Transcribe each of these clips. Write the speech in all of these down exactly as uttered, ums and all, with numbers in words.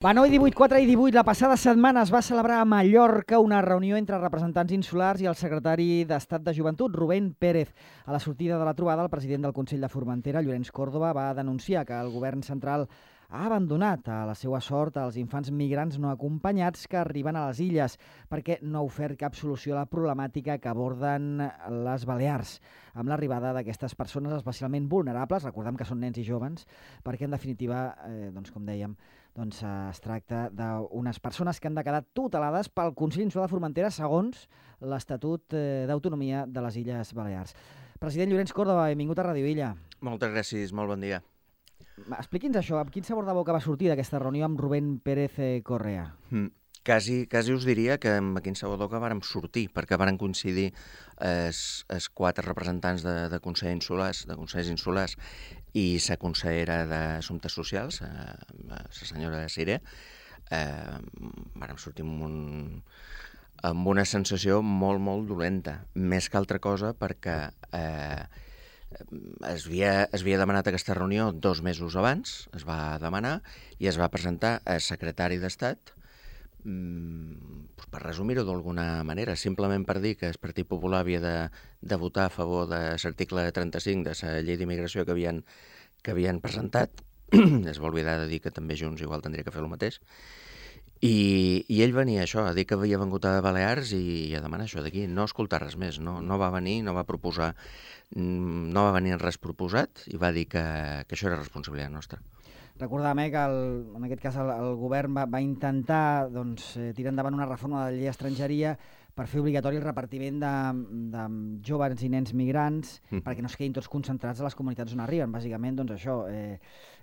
Va, nou i divuit, quatre i divuit, la passada setmana es va celebrar a Mallorca una reunió entre representants insulars i el secretari d'Estat de Joventut, Rubén Pérez. A la sortida de la trobada, el president del Consell de Formentera, Llorenç Córdoba, va denunciar que el govern central ha abandonat a la seva sort als infants migrants no acompanyats que arriben a les illes, perquè no ha ofert cap solució a la problemàtica que aborden les Balears, amb l'arribada d'aquestes persones especialment vulnerables, recordem que són nens i joves, perquè en definitiva, eh, doncs, com dèiem, doncs, eh, es tracta d'unes persones que han de quedar tutelades pel Consell Insular de Formentera segons l'Estatut eh, d'Autonomia de les Illes Balears. President Llorenç Córdoba, benvingut a Ràdio Illa. Moltes gràcies, molt bon dia. Expliqui'ns això, amb quin sabor de boca va sortir d'aquesta reunió amb Rubén Pérez Correa? Mm. Quasi, quasi us diria que amb quin sabor de boca vàrem sortir, perquè varen coincidir els, els quatre representants de, de Consell Insulars, de Consells Insulars, i la consellera d'Assumptes Socials, eh, la senyora Siré. Eh, vàrem sortir amb, un, amb una sensació molt, molt dolenta, més que altra cosa perquè eh, es, havia, es havia demanat aquesta reunió dos mesos abans, es va demanar i es va presentar al secretari d'Estat, mm, pues per resumir-ho d'alguna manera, simplement per dir que el Partit Popular havia de, de votar a favor de l'article trenta-cinc de la llei d'immigració que havien, que havien presentat. Es va oblidar de dir que també Junts igual tindria que fer el mateix. I, i ell venia això, a dir que havia vengut a Balears i a demanar això d'aquí, no escoltar res més, no, no va venir, no va proposar, no va venir res proposat i va dir que, que això era responsabilitat nostra. Recordàvem eh, que el, en aquest cas el, el govern va, va intentar doncs, eh, tirar endavant una reforma de la llei d'estrangeria per fer obligatori el repartiment de, de joves i nens migrants mm. perquè no es quedin tots concentrats a les comunitats on arriben. Bàsicament, doncs això, eh,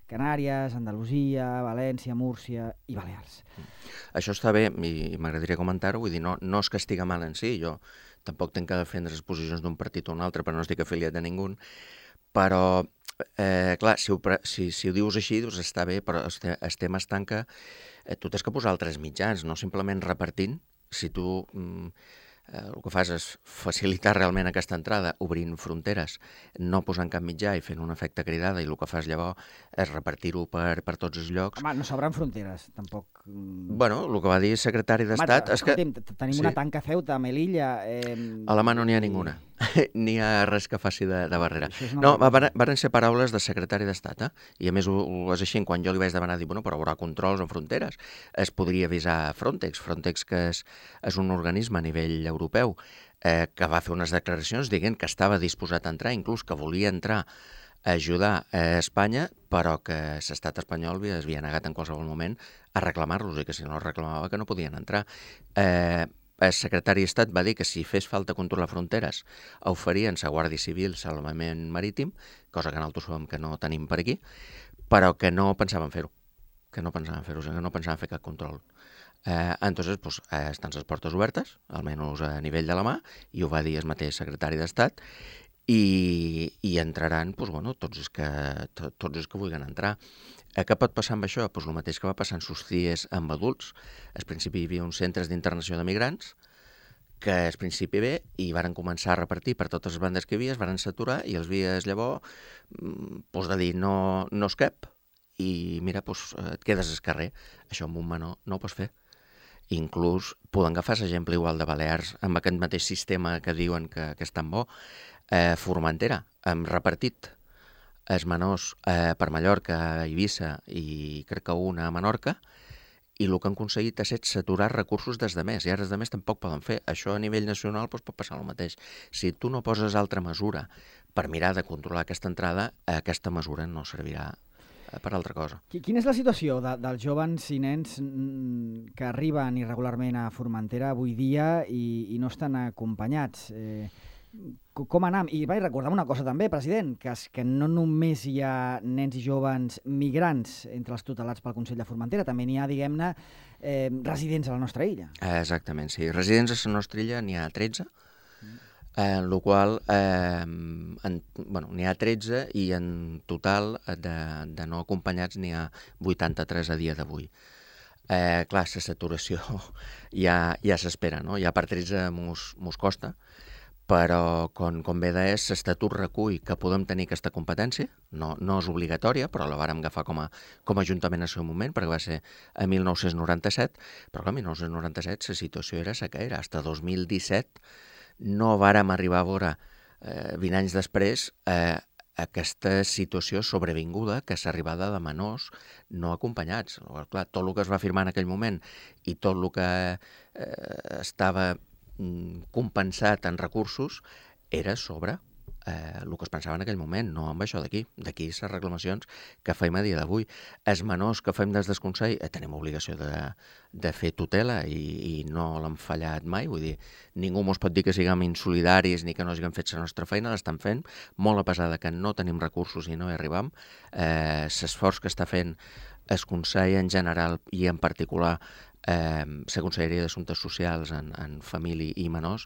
Canàries, Andalusia, València, Múrcia i Balears. Mm. Això està bé i m'agradaria comentar-ho, vull dir, no, no és que estiga mal en si, jo tampoc tenc que defendre les posicions d'un partit o un altre, però no estic afiliat a ningú, però Eh, clar, si ho, si, si ho dius així, doncs està bé, però el, el tema està en que eh, tu tens que posar altres mitjans, no simplement repartint. Si tu mm, eh, el que fas és facilitar realment aquesta entrada, obrint fronteres, no posant cap mitjà i fent un efecte cridada, i el que fas llavors és repartir-ho per, per tots els llocs. Home, no s'obren fronteres, tampoc. Bueno, el que va dir el secretari d'Estat és que... Tenim sí. una tanca Ceuta, a Melilla... Eh, a la mà no n'hi ha ninguna. N'hi ha res que faci de, de barrera. No, van, van ser paraules del secretari d'Estat, eh? I a més ho, ho és així, quan jo li vaig demanar, dir, bueno, però haurà controls en fronteres, es podria avisar Frontex, Frontex que és, és un organisme a nivell europeu eh, que va fer unes declaracions dient que estava disposat a entrar, inclús que volia entrar a ajudar a Espanya, però que l'estat espanyol es havia negat en qualsevol moment a reclamar-los i que si no els reclamava que no podien entrar. Eh, El secretari d'Estat va dir que si fes falta controlar fronteres oferien la Guàrdia Civil salvament marítim, cosa que nosaltres sabem que no tenim per aquí, però que no pensaven fer-ho, que no pensaven fer-ho, que no pensaven fer cap control. Eh, entonces, pues, eh, estan les portes obertes, almenys a nivell de la mà, i ho va dir el mateix secretari d'Estat, i, i entraran pues, bueno, tots, els que, to, tots els que vulguin entrar. Eh, què pot passar amb això? Pues el mateix que va passar en sus dies amb adults. Al principi hi havia uns centres d'internació de migrants que al principi bé i varen començar a repartir per totes les bandes que hi havia, es varen saturar i els vies llavors pues, de dir no, no es cap i mira, pues, et quedes al carrer. Això amb un menor no ho pots fer. Inclús poden agafar l'exemple igual de Balears amb aquest mateix sistema que diuen que, que és tan bo. Eh, Formentera, hem repartit els menors eh, per Mallorca, Eivissa i crec que una a Menorca, i el que han aconseguit és saturar recursos des de més, i ara els de més tampoc poden fer. Això a nivell nacional doncs, pot passar el mateix. Si tu no poses altra mesura per mirar de controlar aquesta entrada, aquesta mesura no servirà per altra cosa. Quina és la situació de, dels joves i nens que arriben irregularment a Formentera avui dia i, i no estan acompanyats? Eh, com anem? I vaig recordar una cosa també, president, que és que no només hi ha nens i joves migrants entre els tutelats pel Consell de Formentera, també n'hi ha, diguem-ne, eh, residents a la nostra illa. Exactament, sí. Residents a la nostra illa n'hi ha tretze, en el qual eh, en, bueno, n'hi ha tretze i en total de, de no acompanyats n'hi ha vuitanta-tres a dia d'avui. Eh, clar, la saturació ja, ja s'espera, no? Ja per tretze mos, mos costa, però, com, com bé deies, l'Estatut recull que podem tenir aquesta competència, no, no és obligatòria, però la vàrem agafar com a, com a Ajuntament en el seu moment, perquè va ser a mil nou-cents noranta-set, però clar, a mil nou-cents noranta-set la situació era la que era. Fins dos mil disset no vàrem arribar a veure, eh, vint anys després, eh, aquesta situació sobrevinguda, que és l'arribada de menors no acompanyats. Clar, tot el que es va firmar en aquell moment i tot el que eh, estava compensat en recursos era sobre eh, el que es pensava en aquell moment, no amb això d'aquí. D'aquí les reclamacions que fem a dia d'avui. Els menors que fem des del Consell eh, tenim obligació de, de fer tutela i, i no l'hem fallat mai. Vull dir, ningú mos pot dir que siguem insolidaris ni que no hàgim fet la nostra feina, l'estan fent, molt a pesar de que no tenim recursos i no hi arribam. Eh, l'esforç que està fent el Consell en general i en particular eh, la Conselleria d'Assumptes Socials en, en família i menors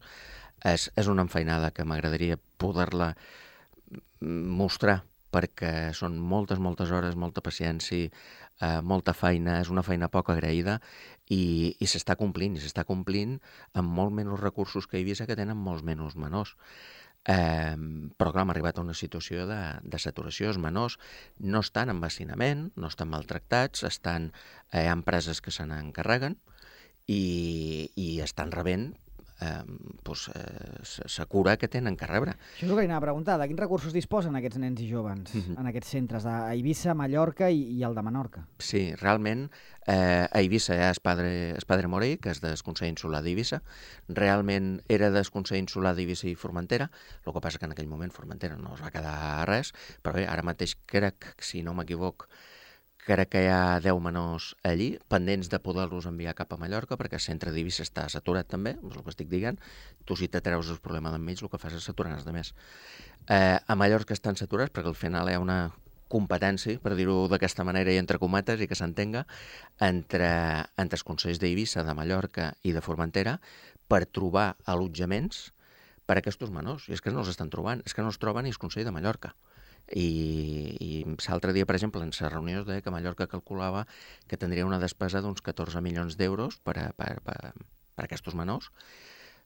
és, és una enfeinada que m'agradaria poder-la mostrar, perquè són moltes, moltes hores, molta paciència, eh, molta feina, és una feina poc agraïda i, i s'està complint, i s'està complint amb molt menys recursos que Eivissa, que tenen molts menys menors. Eh, però clar, hem arribat a una situació de, de saturació. Els menors no estan en vacinament, no estan maltractats, estan eh, empreses que se n'encarreguen i, i estan rebent eh, pues, eh, la cura que tenen que rebre. Això és el que anava a preguntar, de quins recursos disposen aquests nens i joves mm-hmm. en aquests centres d'Eivissa, Mallorca i, i el de Menorca? Sí, realment eh, a Eivissa hi ha el padre, el padre Morell, que és del Consell Insular d'Eivissa. Realment era del Consell Insular d'Eivissa i Formentera, el que passa que en aquell moment Formentera no es va quedar res, però bé, ara mateix crec, si no m'equivoc, crec que hi ha deu menors allí, pendents de poder-los enviar cap a Mallorca, perquè el centre d'Eivissa està saturat també, és el que estic dient. Tu, si te treus el problema d'enmig, el que fas és saturar els altres. Eh, a Mallorca estan saturats perquè al final hi ha una competència, per dir-ho d'aquesta manera i entre cometes i que s'entenga, entre, entre els consells d'Eivissa, de Mallorca i de Formentera per trobar allotjaments per a aquests menors. I és que no els estan trobant, és que no els troben ni el Consell de Mallorca. I, i l'altre dia, per exemple, en la reunió es deia que Mallorca calculava que tindria una despesa d'uns catorze milions d'euros per a, per, per, per a aquests menors,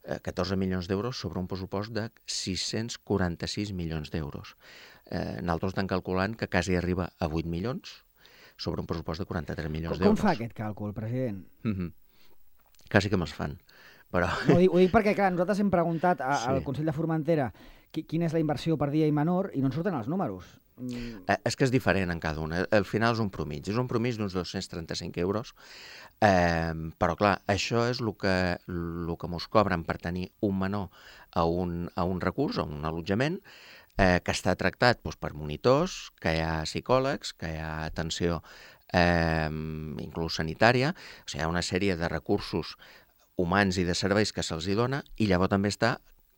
eh, catorze milions d'euros sobre un pressupost de sis-cents quaranta-sis milions d'euros. Eh, nosaltres estem calculant que quasi arriba a vuit milions sobre un pressupost de quaranta-tres milions d'euros. Com fa aquest càlcul, president? Mm-hmm. Quasi que me'ls fan. Però... No, ho, dic, ho dic perquè, clar, nosaltres hem preguntat a, sí. al Consell de Formentera quina és la inversió per dia i menor i no ens surten els números. Mm. Eh, és que és diferent en cada un. Al final és un promig. És un promig d'uns dos-cents trenta-cinc euros. Eh, però, clar, això és el que, el que mos cobren per tenir un menor a un, a un recurs, a un allotjament, eh, que està tractat doncs, per monitors, que hi ha psicòlegs, que hi ha atenció eh, inclús sanitària. O sigui, hi ha una sèrie de recursos humans i de serveis que se'ls hi dona, i llavors també està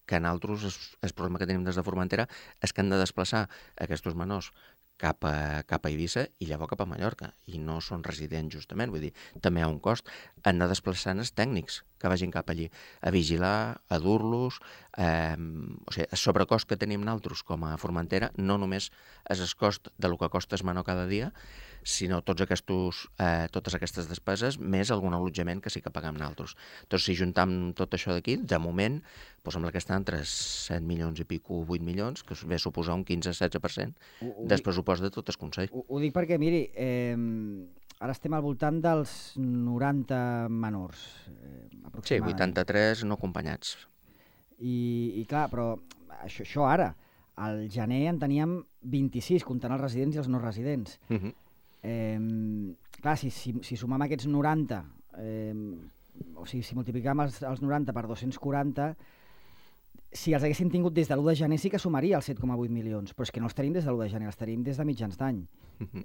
que nosaltres, el, el problema que tenim des de Formentera és que han de desplaçar aquests menors cap a, cap a Eivissa i llavors cap a Mallorca, i no són residents justament, vull dir, també hi ha un cost. Han de desplaçar els tècnics que vagin cap allí a vigilar, a dur-los, eh, o sigui, el sobrecost que tenim nosaltres com a Formentera no només és el cost de lo que costa el menor cada dia, sinó tots aquests, eh, totes aquestes despeses, més algun allotjament que sí que paguem nosaltres. Doncs si juntam tot això d'aquí, de moment, doncs sembla que està entre set milions i pico, vuit milions, que ve a suposar un quinze-setze per cent del pressupost de tot el Consell. Ho, ho dic perquè, miri, eh, ara estem al voltant dels noranta menors, eh, aproximadament. Sí, vuitanta-tres no acompanyats. I, i clar, però això, això ara, al gener en teníem vint-i-sis, comptant els residents i els no residents. Uh-huh. Eh, clar, si, si, si sumam aquests noranta, eh, o sigui, si multiplicam els, els noranta per dos-cents quaranta, si els haguessin tingut des de l'u de gener sí que sumaria els set coma vuit milions, però és que no els tenim des de l'u de gener, els tenim des de mitjans d'any. Uh-huh.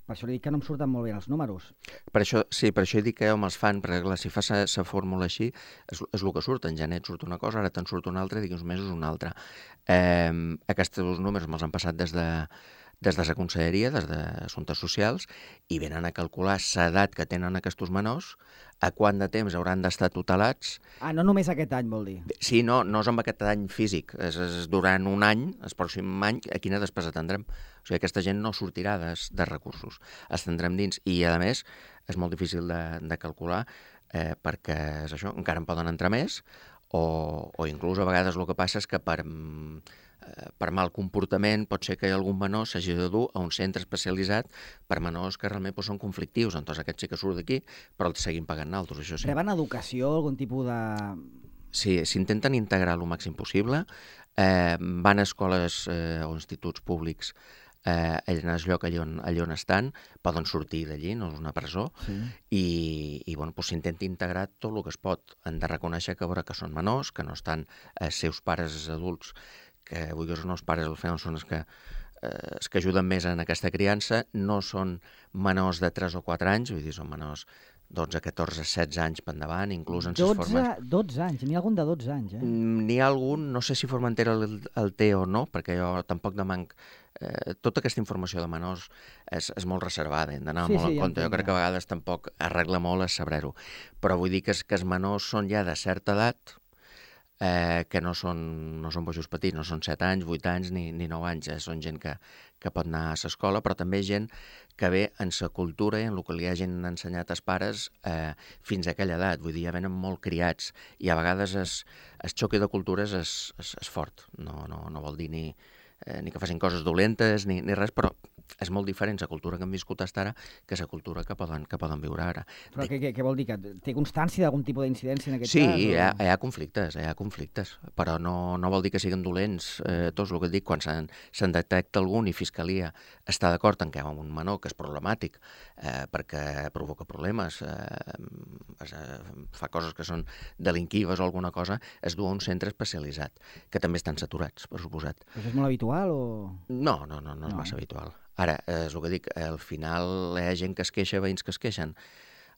Per això li dic que no em surten molt bé els números. Per això, sí, per això dic que home, els fan, perquè clar, si fas la fórmula així, és, és el que surt. En gener et surt una cosa, ara te'n surt una altra, i d'aquí uns mesos una altra. Eh, aquests números me'ls han passat des de des de la Conselleria, des d'Assumptes Socials, i venen a calcular l'edat que tenen aquests menors, a quant de temps hauran d'estar tutelats. Ah, no només aquest any, vol dir? Sí, no, no és amb aquest any físic, és, és durant un any, el pròxim any, a quina despesa tindrem. O sigui, aquesta gent no sortirà de, de recursos, els tindrem dins, i a més és molt difícil de, de calcular, eh, perquè és això, encara en poden entrar més, o, o inclús a vegades el que passa és que per, per mal comportament pot ser que algun menor s'hagi de dur a un centre especialitzat per menors que realment doncs, són conflictius. Entonces aquest sí que surt d'aquí, però el seguim pagant naltros, això sí. Reben educació, algun tipus de... Sí, s'intenten integrar el màxim possible. Eh, van a escoles eh, o instituts públics eh, en el lloc allà on, allà on estan, poden sortir d'allí, no és una presó, sí. i, i bueno, doncs s'intenta integrar tot el que es pot. Han de reconèixer que, veure, que són menors, que no estan els eh, seus pares adults, que vulguis o no, els pares al final són els que, eh, els que ajuden més en aquesta criança, no són menors de tres o quatre anys, vull dir, són menors dotze, catorze, setze anys per endavant, inclús en ses formes... dotze anys, n'hi ha algun de dotze anys, eh? N'hi ha algun, no sé si Formentera el, el té o no, perquè jo tampoc demanc... Eh, tota aquesta informació de menors és, és molt reservada, hem d'anar sí, molt sí, en compte. Jo crec que a vegades tampoc arregla molt a saber-ho. Però vull dir que, que els menors són ja de certa edat, eh, que no són, no són bojos petits, no són set anys, vuit anys ni, ni nou anys, eh? Són gent que, que pot anar a l'escola, però també gent que ve en sa cultura i en el que li hagin ensenyat els pares eh, fins a aquella edat. Vull dir, ja venen molt criats i a vegades el, el xoc de cultures és, és, és fort. No, no, no vol dir ni, eh, ni que facin coses dolentes ni, ni res, però és molt diferent la cultura que hem viscut fins ara que la cultura que poden, que poden viure ara. Però què, què, què vol dir? Que té constància d'algun tipus d'incidència en aquest sí, cas? Sí, hi, ha, hi ha conflictes, hi ha conflictes, però no, no vol dir que siguin dolents. Eh, tots el que et dic, quan se'n se detecta algun i Fiscalia està d'acord en que hi ha un menor que és problemàtic eh, perquè provoca problemes, eh, eh, fa coses que són delinquives o alguna cosa, es du a un centre especialitzat, que també estan saturats, per suposat. Però això és molt habitual o...? No, no, no, no és no. massa habitual. Ara, és el que dic, al final hi ha gent que es queixa, veïns que es queixen.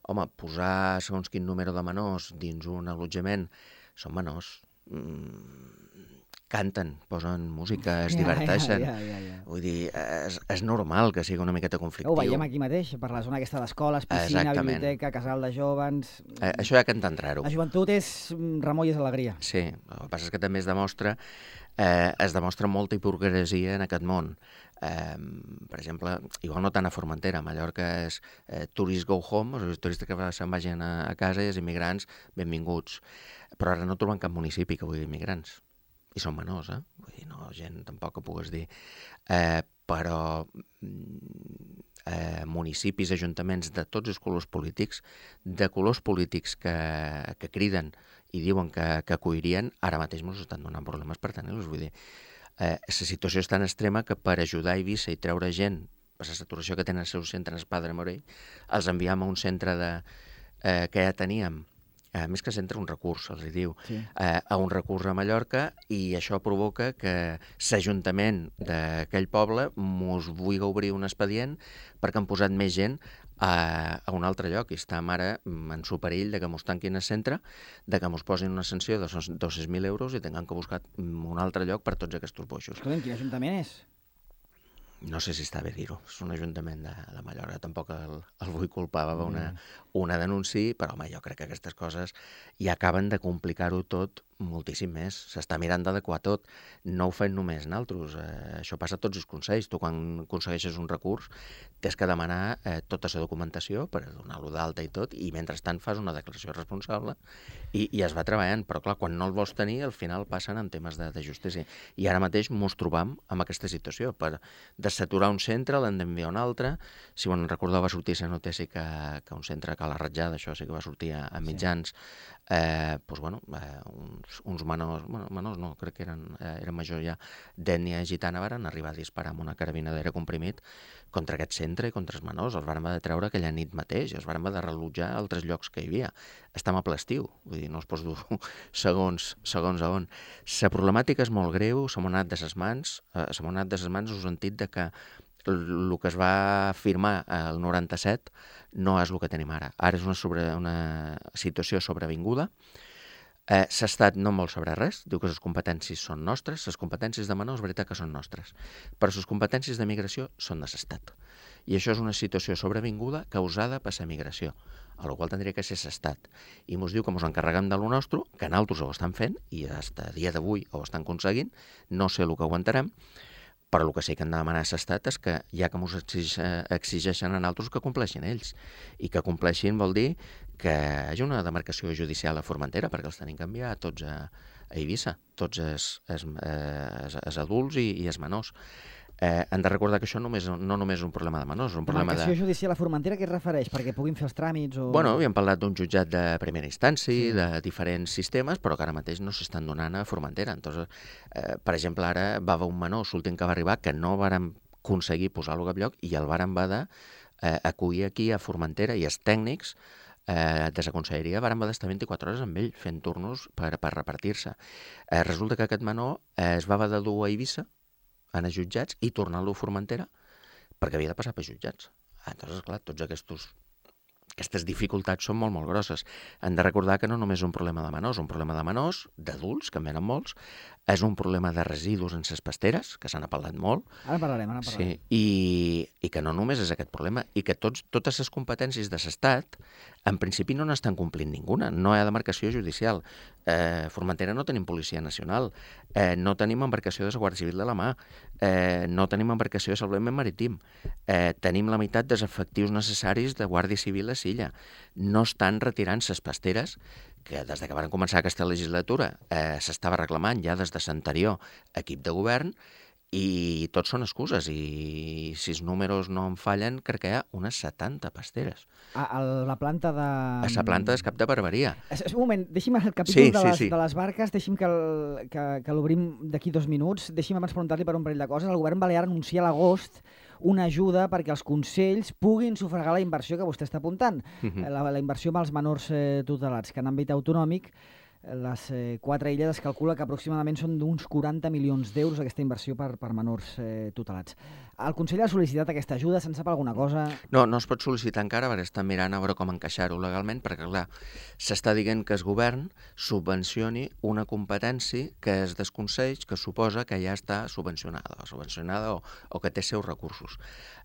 Home, posar segons quin número de menors dins un allotjament, són menors, mm, canten, posen música, es ja, diverteixen. Ja, ja, ja, ja. Vull dir, és, és normal que sigui una miqueta conflictiu. Ho veiem aquí mateix, per la zona aquesta d'escoles, piscina, Exactament. biblioteca, casal de jovens... Eh, això hi ha que entendre-ho. La joventut és remor i és alegria. Sí, el que passa és que també es demostra, eh, es demostra molta hipocresia en aquest món. Eh, per exemple, igual no tant a Formentera, a Mallorca és eh, tourist go home, els turistes que se'n vagin a, a casa i els immigrants benvinguts, però ara no troben cap municipi que vulgui immigrants, i són menors, eh? Vull dir, no, gent tampoc que pugues dir, eh, però eh, municipis, ajuntaments de tots els colors polítics, de colors polítics que, que criden i diuen que, que acollirien, ara mateix ens estan donant problemes per tenir-los, vull dir, Eh, la situació és tan extrema que per ajudar a Eivissa i treure gent per la saturació que tenen el seu centre en el Padre Morell, els enviem a un centre de, eh, que ja teníem, a més que centre un recurs, els diu, sí. eh, a un recurs a Mallorca, i això provoca que l'Ajuntament d'aquell poble mos vulgui obrir un expedient perquè han posat més gent a, a un altre lloc, i estem ara en su perill de que mos tanquin el centre, de que mos posin una sanció de dos-cents mil euros i tinguem que buscar un altre lloc per tots aquests boixos. Escolta'm, quin ajuntament és? No sé si està bé dir-ho, és un ajuntament de, de Mallorca, tampoc el, el vull culpar, va una, una denúncia, però home, jo crec que aquestes coses ja acaben de complicar-ho tot moltíssim més. S'està mirant d'adequar tot, no ho fem només naltros, eh, això passa a tots els consells. Tu quan aconsegueixes un recurs tens que demanar eh, tota la documentació per donar-lo d'alta i tot, i mentrestant fas una declaració responsable i, i es va treballant, però clar, quan no el vols tenir al final passen en temes de, de justícia. I ara mateix mos trobam amb aquesta situació, per desaturar un centre l'hem d'enviar a un altre. Si bon recordeu va sortir la notícia que, que un centre que a la Ratjada, això sí que va sortir a, a mitjans, eh, doncs bueno, eh, uns, uns menors, bueno, menors no, crec que eren, eh, eren majors ja, d'ètnia gitana, van arribar a disparar amb una carabina d'aire comprimit contra aquest centre i contra els menors. Els van haver de treure aquella nit mateix, els van haver de relotjar a altres llocs que hi havia. Estem a ple estiu, vull dir, no es pots dur segons, segons a on. La problemàtica és molt greu, se m'ha anat de ses mans, eh, se m'ha anat de ses mans en el sentit de que el que es va firmar el noranta-set no és el que tenim ara. Ara és una, sobre, una situació sobrevinguda. Eh, L'Estat no en vol saber res, diu que les competències són nostres, les competències de menors és veritat que són nostres, però les competències de migració són de l'Estat. I això és una situació sobrevinguda causada per la migració, a la qual tindria que ser l'Estat. I ens diu que ens encarreguem de lo nostre, que nosaltres ho estan fent, i fins a dia d'avui ho estan aconseguint, no sé el que aguantarem, però el que sí que han de demanar a l'Estat és que, ja que ens exigeixen a nosaltres, que compleixin ells. I que compleixin vol dir que hi hagi una demarcació judicial a Formentera, perquè els tenim que enviar tots a, a Eivissa, tots els, els, els, els adults i, i els menors. Eh, hem de recordar que això només, no només és un problema de menors, és un problema de... Demarcació judicial a Formentera, què es refereix? Perquè puguin fer els tràmits o... Bueno, havíem parlat d'un jutjat de primera instància, sí. de diferents sistemes, però que ara mateix no s'estan donant a Formentera. Entonces, eh, per exemple, ara va haver un menor, l'últim que va arribar, que no vàrem aconseguir posar-lo a cap lloc i el vàrem haver eh, acollir aquí a Formentera i els tècnics eh, de la conselleria vàrem haver d'estar vint-i-quatre hores amb ell fent turnos per, per repartir-se. Eh, resulta que aquest menor eh, es va haver de dur a Eivissa, anar a jutjats i tornar-lo a Formentera perquè havia de passar per jutjats. Entonces, clar, tots aquests, aquestes dificultats són molt, molt grosses. Hem de recordar que no només és un problema de menors, un problema de menors, d'adults, que en venen molts, és un problema de residus en les pasteres, que se n'ha parlat molt. Ara parlarem, ara parlarem. Sí, i, i que no només és aquest problema, i que tots, totes les competències de l'Estat, en principi no n'estan complint ninguna. No hi ha demarcació judicial. Eh, Formentera no tenim policia nacional, eh, no tenim embarcació de la Guàrdia Civil de la mà, eh, no tenim embarcació de salvament marítim, eh, tenim la meitat dels efectius necessaris de Guàrdia Civil a Silla. No estan retirant les pasteres que des de que van començar aquesta legislatura eh, s'estava reclamant ja des de l'anterior equip de govern, i tots són excuses, i si els números no em fallen, crec que hi ha unes setanta pasteres. A, a la planta de... A la planta és Cap de Barberia. Es, es, un moment, deixi'm el capítol sí, de, les, sí, sí. de les barques, deixi'm que, el, que, que l'obrim d'aquí dos minuts, deixi'm abans preguntar-li per un parell de coses. El govern balear anuncia a l'agost una ajuda perquè els consells puguin sufragar la inversió que vostè està apuntant, uh-huh. la, la inversió amb els menors eh, tutelats, que en àmbit autonòmic les eh, quatre illes es calcula que aproximadament són d'uns quaranta milions d'euros aquesta inversió per, per menors eh, tutelats. El Consell ha sol·licitat aquesta ajuda, se'n sap alguna cosa? No, no es pot sol·licitar encara, perquè estan mirant a veure com encaixar-ho legalment, perquè clar, s'està dient que el govern subvencioni una competència que és dels consells, que suposa que ja està subvencionada, o subvencionada o, o que té seus recursos.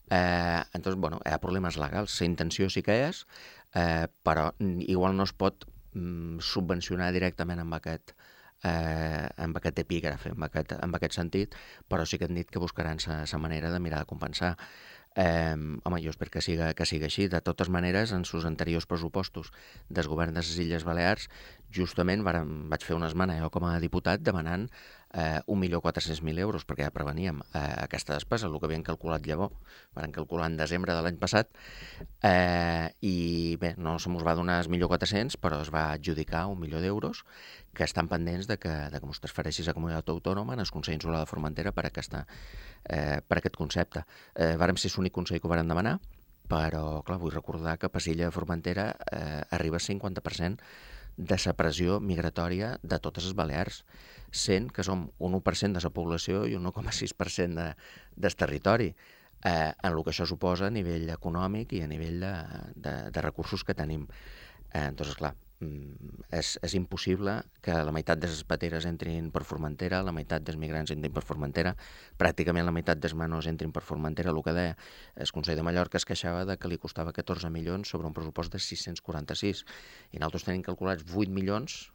Eh, entonces, bueno, hi ha problemes legals, la intenció sí que és, eh, però igual no es pot subvencionar directament amb aquest, eh, amb aquest epígraf, amb aquest, amb aquest sentit, però sí que han dit que buscaran la manera de mirar de compensar. Eh, home, jo espero que siga, que siga així. De totes maneres, en sus anteriors pressupostos del govern de les Illes Balears, justament vàrem, vaig fer una esmena jo com a diputat demanant eh, un milió quatre-cents mil euros, perquè ja preveníem eh, aquesta despesa, el que havien calculat llavors, van calcular en desembre de l'any passat, eh, i bé, no se mos va donar el milió quatre-cents, però es va adjudicar un milió d'euros que estan pendents de que, de que mos transfereixi la comunitat autònoma en el Consell Insular de Formentera per, aquesta, eh, per aquest concepte. Eh, vàrem ser l'únic consell que ho vàrem demanar, però clar, vull recordar que Pasilla de Formentera eh, arriba al cinquanta per cent de la pressió migratòria de totes les Balears, sent que som un u per cent de la població i un u coma sis per cent de, del territori, eh, en el que això suposa a nivell econòmic i a nivell de, de, de recursos que tenim. Eh, entonces, clar, és, és impossible que la meitat de les pateres entrin per Formentera, la meitat dels migrants entrin per Formentera, pràcticament la meitat dels menors entrin per Formentera. El que deia el Consell de Mallorca es queixava de que li costava catorze milions sobre un pressupost de sis-cents quaranta-sis, i nosaltres tenim calculats vuit milions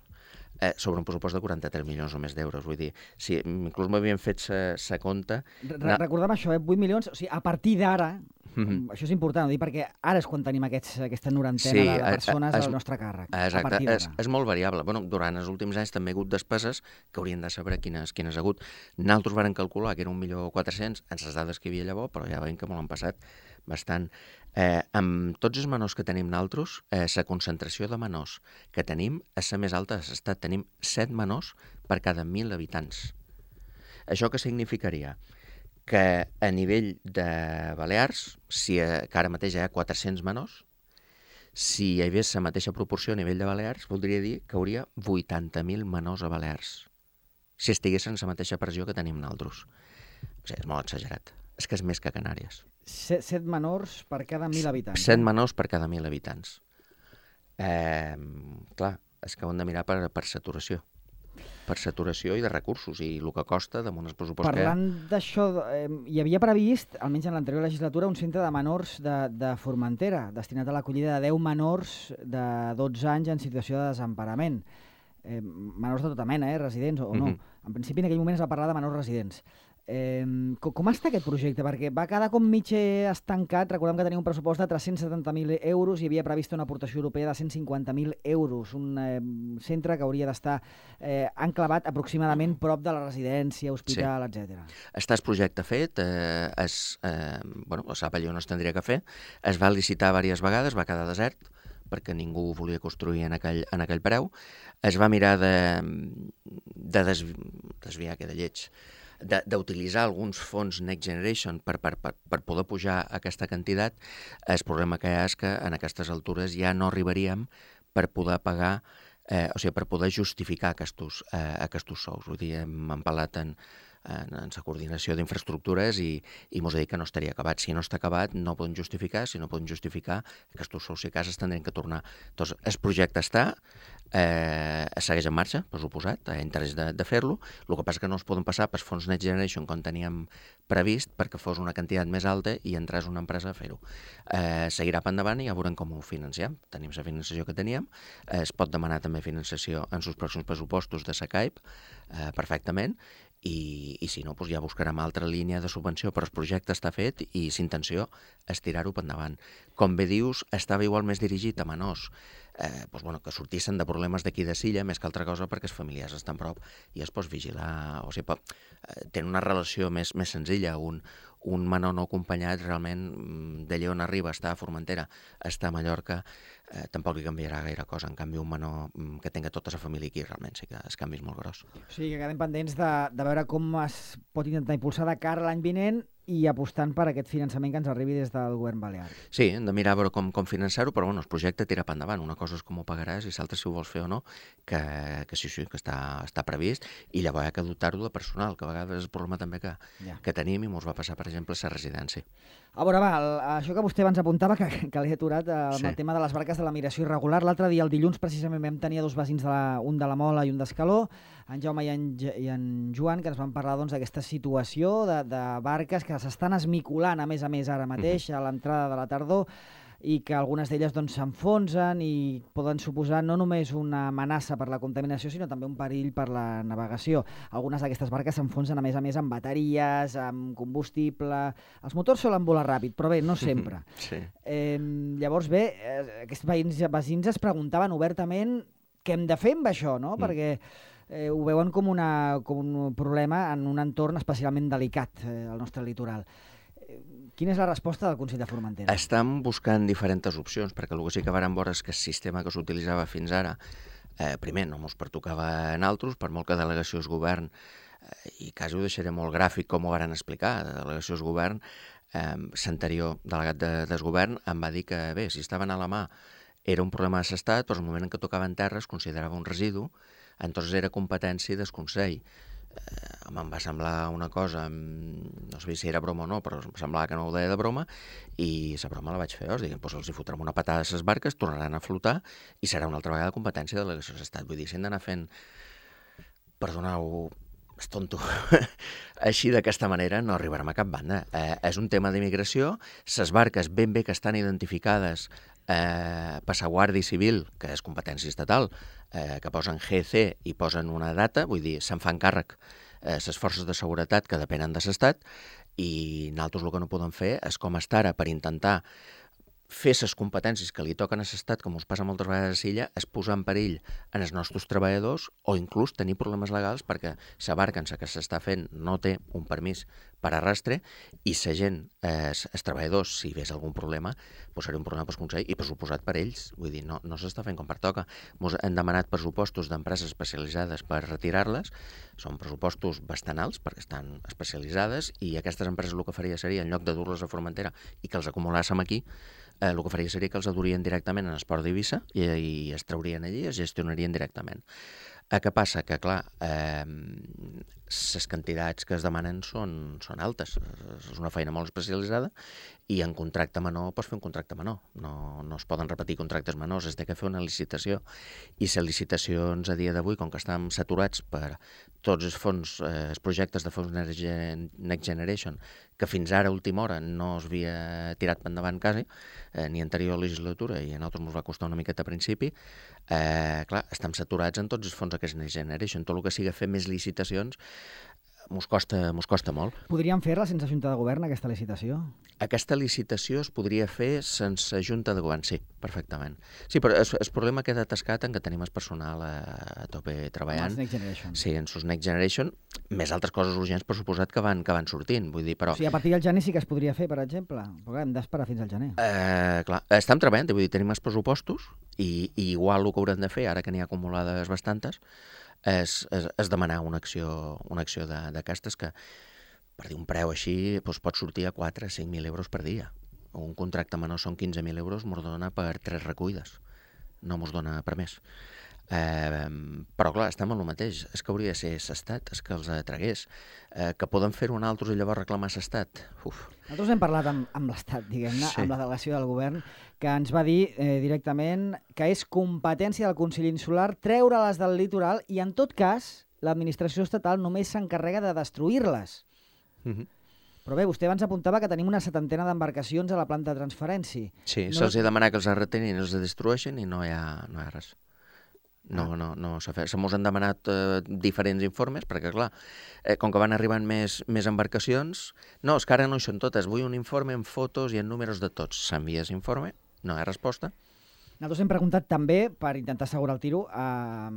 eh, sobre un pressupost de quaranta-tres milions o més d'euros. Vull dir, si inclús m'havien fet sa compte... Re Recordem això, eh? vuit milions, o sigui, a partir d'ara, mm-hmm. això és important, dir, perquè ara és quan tenim aquests, aquesta norantena sí, de, de persones al nostre càrrec. Exacte, és, és molt variable. Bueno, durant els últims anys també hi ha hagut despeses que haurien de saber quines, quines ha hagut. Nosaltres vàrem calcular que era un milió quatre-cents en les dades que hi havia llavors, però ja veiem que molt han passat bastant. Eh, amb tots els menors que tenim nosaltres, eh, la concentració de menors que tenim és la més alta de l'estat. Tenim set menors per cada mil habitants. Això què significaria? Que a nivell de Balears, si a, que ara mateix hi ha quatre-cents menors, si hi hagués la mateixa proporció a nivell de Balears, voldria dir que hauria vuitanta mil menors a Balears, si estiguessin la mateixa pressió que tenim nosaltres. O sigui, és molt exagerat. És que és més que a Canàries. Set, set menors per cada mil habitants. Set menors per cada mil habitants. Eh, clar, és que ho hem de mirar per, per saturació. Per saturació i de recursos, i el que costa damunt el pressupost. Parlant d'això, eh, hi havia previst, almenys en l'anterior legislatura, un centre de menors de, de Formentera, destinat a l'acollida de deu menors de dotze anys en situació de desemparament. Eh, menors de tota mena, eh, residents o no. Mm-hmm. En principi, en aquell moment es va parlar de menors residents. Eh, com, com està aquest projecte? Perquè va quedar com mig estancat. Recordem que tenia un pressupost de tres-cents setanta mil euros i havia previst una aportació europea de cent cinquanta mil euros. Un eh, centre que hauria d'estar eh, enclavat aproximadament prop de la residència, hospital, sí. etcètera. Està el projecte fet, eh, es, eh, bueno, la sap allò no es tindria que fer, es va licitar diverses vegades, va quedar desert, perquè ningú volia construir en aquell, en aquell preu. Es va mirar de, de des, desviar, que de lleig, d'utilitzar alguns fons Next Generation per, per, per, per poder pujar aquesta quantitat. El problema que hi ha és que en aquestes altures ja no arribaríem per poder pagar, eh, o sigui, per poder justificar aquests, eh, aquests sous. Vull dir, hem parlat en, en, en la coordinació d'infraestructures i, i mos ha dit que no estaria acabat. Si no està acabat, no poden justificar. Si no poden justificar, aquests sous i cases tindrien que tornar. Doncs el projecte està, eh, segueix en marxa, per suposat, hi ha interès de, de fer-lo. El que passa és que no es poden passar per fons Next Generation com teníem previst perquè fos una quantitat més alta i entrés una empresa a fer-ho. Eh, seguirà per endavant i ja veurem com ho financiem. Tenim la finançació que teníem, eh, es pot demanar també finançació en els pròxims pressupostos de la CAIP, eh, perfectament, i, i si no, doncs ja buscarem altra línia de subvenció, però el projecte està fet i l'intenció és tirar-ho per endavant. Com bé dius, estava igual més dirigit a menors eh, doncs, bueno, que sortissin de problemes d'aquí de Silla, més que altra cosa perquè els familiars estan prop i es pot vigilar, o sigui, pot, eh, tenen una relació més, més senzilla. Un, un menor no acompanyat realment d'allà on arriba, està a Formentera, està a Mallorca, eh, tampoc li canviarà gaire cosa. En canvi, un menor que tenga tota la família aquí, realment sí que el canvi és molt gros. O sigui, que quedem pendents de, de veure com es pot intentar impulsar de cara a l'any vinent i apostant per aquest finançament que ens arribi des del govern balear. Sí, hem de mirar a veure com, com finançar-ho, però bueno, el projecte tira per endavant. Una cosa és com ho pagaràs i l'altra si ho vols fer o no, que, que sí, sí, que està, està previst, i llavors hi ha que dotar-ho de personal, que a vegades és el problema també que, ja. que tenim i ens va passar, per exemple, a la residència. A veure, va, el, això que vostè abans apuntava, que, que l'he aturat, amb sí. el tema de les barques de la migració irregular. L'altre dia, el dilluns, precisament vam tenir dos veïns, de la, un de la Mola i un d'Escaló, en Jaume i en, i en Joan, que ens van parlar doncs, d'aquesta situació de, de barques que s'estan esmicolant, a més a més, ara mateix, a l'entrada de la tardor, i que algunes d'elles doncs, s'enfonsen i poden suposar no només una amenaça per la contaminació, sinó també un perill per la navegació. Algunes d'aquestes barques s'enfonsen, a més a més, amb bateries, amb combustible. Els motors solen volar ràpid, però bé, no sempre. Sí. Eh, llavors, bé, eh, aquests veïns, veïns es preguntaven obertament què hem de fer amb això, no? Mm. Perquè eh, ho veuen com, una, com un problema en un entorn especialment delicat, eh, al nostre litoral. Quina és la resposta del Consell de Formentera? Estem buscant diferents opcions, perquè el que sí que vàrem veure és que el sistema que s'utilitzava fins ara, eh, primer, no ens pertocava en altres, per molt que delegació es govern, eh, i quasi ho deixaré molt gràfic com ho varen explicar, de delegació es govern, eh, l'anterior delegat de, del govern em va dir que, bé, si estaven a la mà era un problema de l'estat, però el moment en què tocaven terra es considerava un residu, entonces era competència del Consell. Eh, em va semblar una cosa, no sé si era broma o no, però em semblava que no ho deia de broma, i la broma la vaig fer. Us diguem, doncs els hi fotrem una patada a les barques, tornaran a flotar i serà una altra vegada competència de delegació de l'Estat. Vull dir, si hem d'anar fent, perdoneu, és tonto, així d'aquesta manera no arribarem a cap banda. Eh, és un tema d'immigració, les barques ben bé que estan identificades eh, per la Guàrdia Civil, que és competència estatal, eh, que posen G C i posen una data, vull dir, se'n fan càrrec eh, les forces de seguretat que depenen de l'Estat, i nosaltres el que no podem fer és, com està ara, per intentar fer les competències que li toquen a l'Estat, com us passa moltes vegades a Silla, és posar en perill en els nostres treballadors o inclús tenir problemes legals perquè la barca en la que s'està fent no té un permís per arrastre i la gent, eh, els treballadors, si ves algun problema, doncs seria un problema per Consell i per suposat per ells. Vull dir, no, no s'està fent com pertoca. Ens hem demanat pressupostos d'empreses especialitzades per retirar-les. Són pressupostos bastant alts perquè estan especialitzades i aquestes empreses el que faria seria, en lloc de dur-les a Formentera i que els acumulàssim aquí, Eh, el que faria seria que els adurien directament en Esport d'Eivissa i, i es traurien allí i es gestionarien directament. Eh, què passa? Que, clar, eh, les quantitats que es demanen són, són altes. És una feina molt especialitzada i en contracte menor pots fer un contracte menor. No, no es poden repetir contractes menors, es té que fer una licitació. I les licitacions a dia d'avui, com que estan saturats per tots els fons, eh, els projectes de fons Next Generation, que fins ara, a última hora, no es havia tirat per endavant quasi, eh, ni anterior legislatura, i a nosaltres ens va costar una miqueta a principi, eh, clar, estem saturats en tots els fons d'aquest Next Generation. Tot el que sigui fer més licitacions mos costa, mos costa molt. Podríem fer-la sense Junta de Govern, aquesta licitació? Aquesta licitació es podria fer sense Junta de Govern, sí, perfectament. Sí, però el, el problema queda atascat en que tenim el personal a, a tope treballant. Els Next Generation. Sí, en sus Next Generation, més altres coses urgents, per suposat, que van, que van sortint. Vull dir, però... O sigui, a partir del gener sí que es podria fer, per exemple, però hem d'esperar fins al gener. Eh, clar, estem treballant, vull dir, tenim els pressupostos i, i igual el que haurem de fer, ara que n'hi ha acumulades bastantes, és, és, és demanar una acció, una acció d'aquestes que, per dir un preu així, doncs pot sortir a quatre o cinc mil euros per dia. Un contracte menor són quinze mil euros, mos dona per tres recullides. No mos dona per més. Eh, però clar, estem en el mateix. És que hauria de ser l'Estat, és que els tragués. Eh, que poden fer-ho altres i llavors reclamar l'Estat. Uf. Nosaltres hem parlat amb, amb l'Estat, diguem-ne, sí. amb la delegació del govern, que ens va dir eh, directament que és competència del Consell Insular treure-les del litoral i, en tot cas, l'administració estatal només s'encarrega de destruir-les. Uh-huh. Però bé, vostè abans apuntava que tenim una setantena d'embarcacions a la planta de transferència. Sí, no... se'ls ha demanat que els retenin i els destrueixen i no hi ha, no hi ha res. No, ah. no, no s'ha fet. Se mos han demanat eh, diferents informes, perquè clar, eh, com que van arribant més, més embarcacions, no, és que ara no hi són totes, vull un informe amb fotos i amb números de tots. S'envia l'informe, no hi ha resposta. Nosaltres hem preguntat també, per intentar assegurar el tiro, a,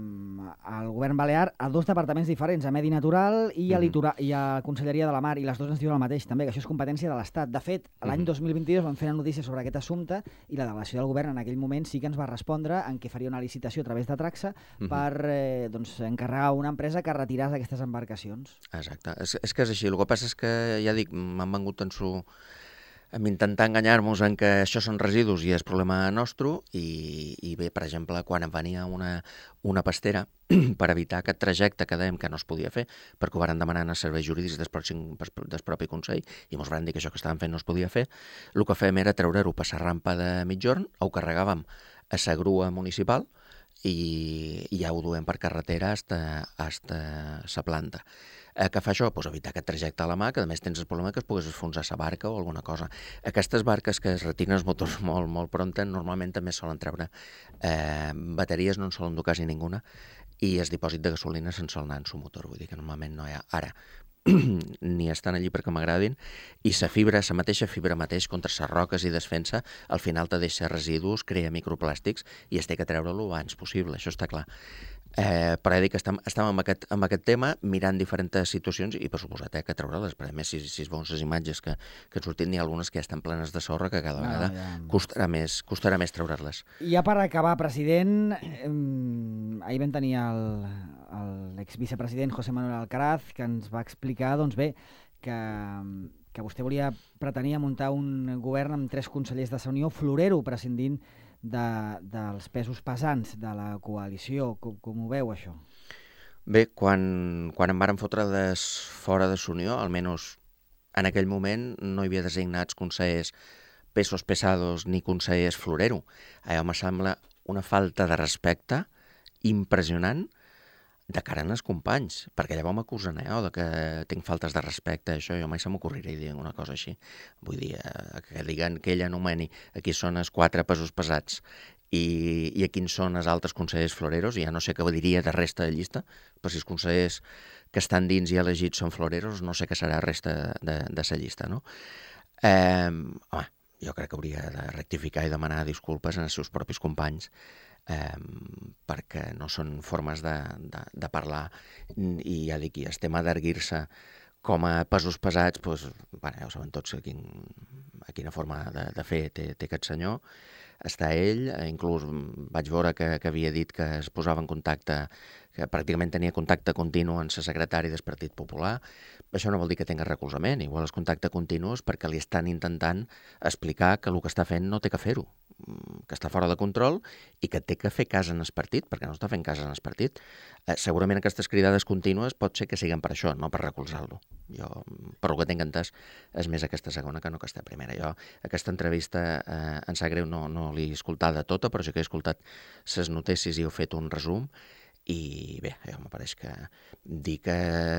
al govern balear a dos departaments diferents, a Medi Natural i a, Litora, i a Conselleria de la Mar, i les dues ens diuen el mateix també, que això és competència de l'Estat. De fet, l'any dos mil vint-i-dos vam fer una notícia sobre aquest assumpte i la delegació del govern en aquell moment sí que ens va respondre en què faria una licitació a través de Traxa uh-huh. per eh, doncs, encarregar a una empresa que retiràs aquestes embarcacions. Exacte. És, és que és així. El que passa és que, ja dic, m'han vengut en su... amb intentar enganyar-nos en que això són residus i és problema nostre i, i bé, per exemple, quan em venia una, una pastera per evitar aquest trajecte que dèiem que no es podia fer perquè ho van demanar als serveis jurídics del, pròxim, del propi Consell i ens van dir que això que estàvem fent no es podia fer, el que fèiem era treure-ho per la rampa de migjorn, ho carregàvem a la grua municipal i, i ja ho duem per carretera fins a la planta. Eh, què fa això? Pues evitar aquest trajecte a la mà, que a més tens el problema que es pogués enfonsar la barca o alguna cosa. Aquestes barques que es retiren els motors molt, molt prompte, normalment també solen treure eh, bateries, no en solen dur quasi ninguna, i el dipòsit de gasolina se'n sol anar en su motor, vull dir que normalment no hi ha. Ara, ni estan allí perquè m'agradin, i la fibra, la mateixa fibra mateix contra les roques i desfensa, al final te deixa residus, crea microplàstics i es té que treure-lo abans possible, això està clar. Eh, però he dit que estem, estem amb, aquest, amb aquest tema mirant diferents situacions i per suposat eh, que treure-les, perquè a més si, si es veuen les imatges que, que han sortit n'hi ha algunes que ja estan plenes de sorra que cada vegada no, ja... costarà més, costarà més treure-les. I ja per acabar, president, eh, ahir vam tenir l'exvicepresident José Manuel Alcaraz que ens va explicar, doncs bé, que, que vostè volia pretenia muntar un govern amb tres consellers de la Unió, florero, prescindint De, dels pesos pesants de la coalició. Com, com ho veu, això? Bé, quan, quan em varen fotre des fora de l'Unió, almenys en aquell moment no hi havia designats consellers pesos pesados ni consellers florero. Allò me sembla una falta de respecte impressionant de cara als companys, perquè llavors m'acusen eh, de que tinc faltes de respecte, això jo mai se m'ocorriré dir una cosa així. Vull dir, eh, que diguen que ell anomeni aquí són els quatre pesos pesats i, i a quins són els altres consellers floreros, i ja no sé què diria de resta de llista, però si els consellers que estan dins i elegits són floreros, no sé què serà resta de, de sa llista, no? Eh, home, jo crec que hauria de rectificar i demanar disculpes als seus propis companys, Eh, perquè no són formes de, de, de parlar i ja dic, i el tema d'erguir-se com a pesos pesats, doncs, bueno, ja ho saben tots a, quin, a quina forma de, de fer té, té aquest senyor. Està ell, inclús vaig veure que, que havia dit que es posava en contacte, que pràcticament tenia contacte continu amb el secretari del Partit Popular. Això no vol dir que tinga recolzament, igual és contacte continu perquè li estan intentant explicar que el que està fent no té que fer-ho, que està fora de control i que té que fer cas en el partit, perquè no està fent cas en el partit. Eh, segurament aquestes cridades contínues pot ser que siguin per això, no per recolzar-lo. Jo, per el que tinc entès, és més aquesta segona que no aquesta primera. Jo, aquesta entrevista, eh, em sap greu, no, no l'he escoltada tota, però sí que he escoltat les notícies i he fet un resum. I bé, ja me pareix que dir que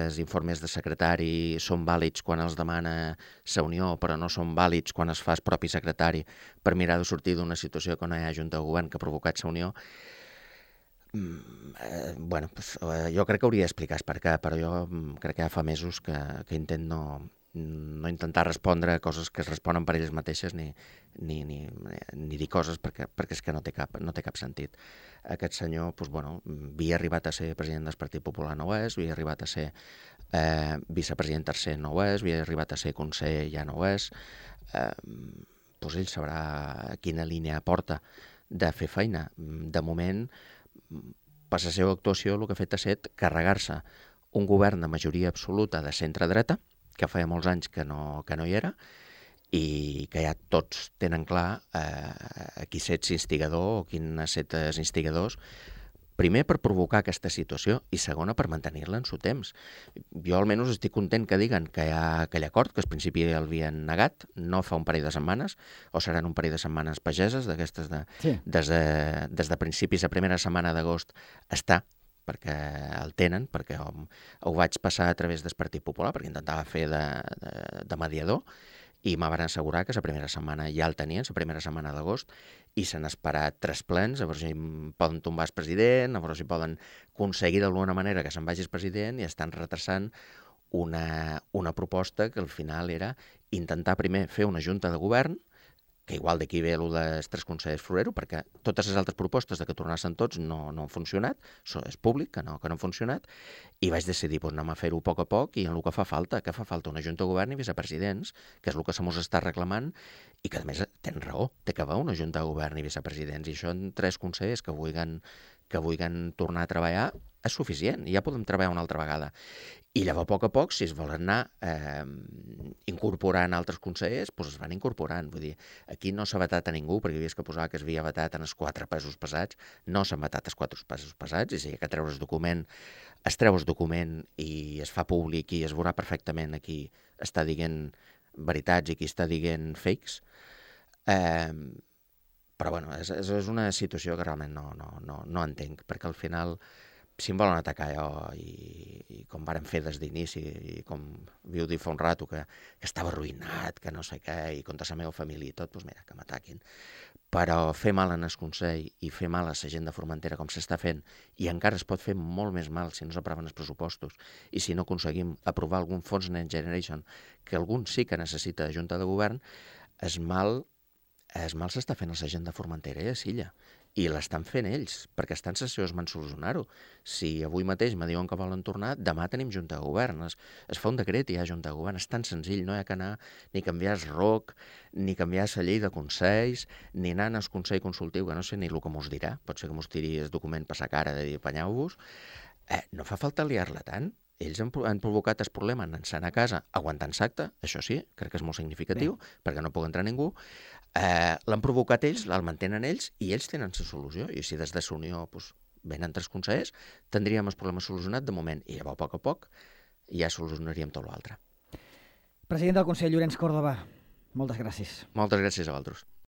els informes de secretari són vàlids quan els demana la Unió, però no són vàlids quan es fa el propi secretari per mirar de sortir d'una situació que no hi ha junta de govern que ha provocat la Unió, Mm, eh, bueno, pues, eh, jo crec que hauria d'explicar per què, però jo mm, crec que ja fa mesos que, que intent no, no intentar respondre a coses que es responen per elles mateixes ni, ni, ni, ni dir coses perquè, perquè és que no té cap, no té cap sentit. Aquest senyor, doncs, bueno, havia arribat a ser president del Partit Popular, no ho és, havia arribat a ser eh, vicepresident tercer, no ho és, havia arribat a ser conseller, ja no ho és. Eh, doncs ell sabrà quina línia porta de fer feina. De moment, per la seva actuació, el que ha fet ha estat carregar-se un govern de majoria absoluta de centre-dreta, que feia molts anys que no, que no hi era, i que ja tots tenen clar eh, qui s'ets instigador o quin set els instigadors, primer per provocar aquesta situació i segona per mantenir-la en su temps. Jo almenys estic content que diguen que hi ha aquell acord, que al principi l'havien negat, no fa un parell de setmanes, o seran un parell de setmanes pageses, d'aquestes de, sí. des, de, des de principis, la primera setmana d'agost està, perquè el tenen, perquè ho, ho vaig passar a través del Partit Popular, perquè intentava fer de, de, de mediador, i me van assegurar que la primera setmana ja el tenien, la primera setmana d'agost, i s'han esperat tres plens, a veure si poden tombar el president, a veure si poden aconseguir d'alguna manera que se'n vagi el president, i estan retrasant una, una proposta que al final era intentar primer fer una junta de govern, que igual d'aquí ve el dels tres consellers Florero, perquè totes les altres propostes de que tornassin tots no, no han funcionat, això és públic, que no, que no han funcionat, i vaig decidir, doncs anem a fer-ho a poc a poc, i en el que fa falta, que fa falta una junta de govern i vicepresidents, que és el que se mos està reclamant, i que a més tenen raó, té que haver una junta de govern i vicepresidents, i això en tres consellers que vulguin, que vulguin tornar a treballar és suficient, i ja podem treballar una altra vegada. I llavors, a poc a poc, si es volen anar eh, incorporant altres consellers, doncs es van incorporant. Vull dir, aquí no s'ha vetat a ningú, perquè havies que posar que es havia vetat en els quatre pesos pesats, no s'han vetat els quatre pesos pesats, i si hi ha que treure el document, es treu el document i es fa públic i es veurà perfectament a qui està dient veritats i qui està dient fakes. Eh, però, bueno, és, és una situació que realment no, no, no, no entenc, perquè al final, si em volen atacar jo, i, i com varen fer des d'inici, i com viu dir fa un rato, que, que estava arruïnat, que no sé què, i contra la meva família i tot, doncs mira, que m'ataquin. Però fer mal en el Consell i fer mal a la gent de Formentera com s'està fent, i encara es pot fer molt més mal si no s'aproven els pressupostos i si no aconseguim aprovar algun fons Next Generation, que algun sí que necessita de Junta de Govern, es mal, es mal s'està fent a la gent de Formentera i a Silla. I l'estan fent ells, perquè estan en les seves mans solucionar-ho. Si avui mateix me diuen que volen tornar, demà tenim Junta de Govern. Es, es fa un decret i hi ha Junta de Govern. És tan senzill, no hi ha que anar ni canviar el R O C, ni canviar la llei de consells, ni anar al Consell Consultiu, que no sé ni el que mos dirà. Pot ser que mos tiri el document per la cara de dir apanyeu-vos. Eh, no fa falta liar-la tant. Ells han, han provocat el problema anant-se'n a casa aguantant l'acte, això sí, crec que és molt significatiu, bé, perquè no pot entrar ningú. Eh, l'han provocat ells, el mantenen ells, i ells tenen la solució. I si des de la Unió doncs, venen tres consellers, tindríem el problema solucionat de moment, i llavors a poc a poc ja solucionaríem tot l'altre. President del Consell, Llorenç Córdoba, moltes gràcies. Moltes gràcies a vosaltres.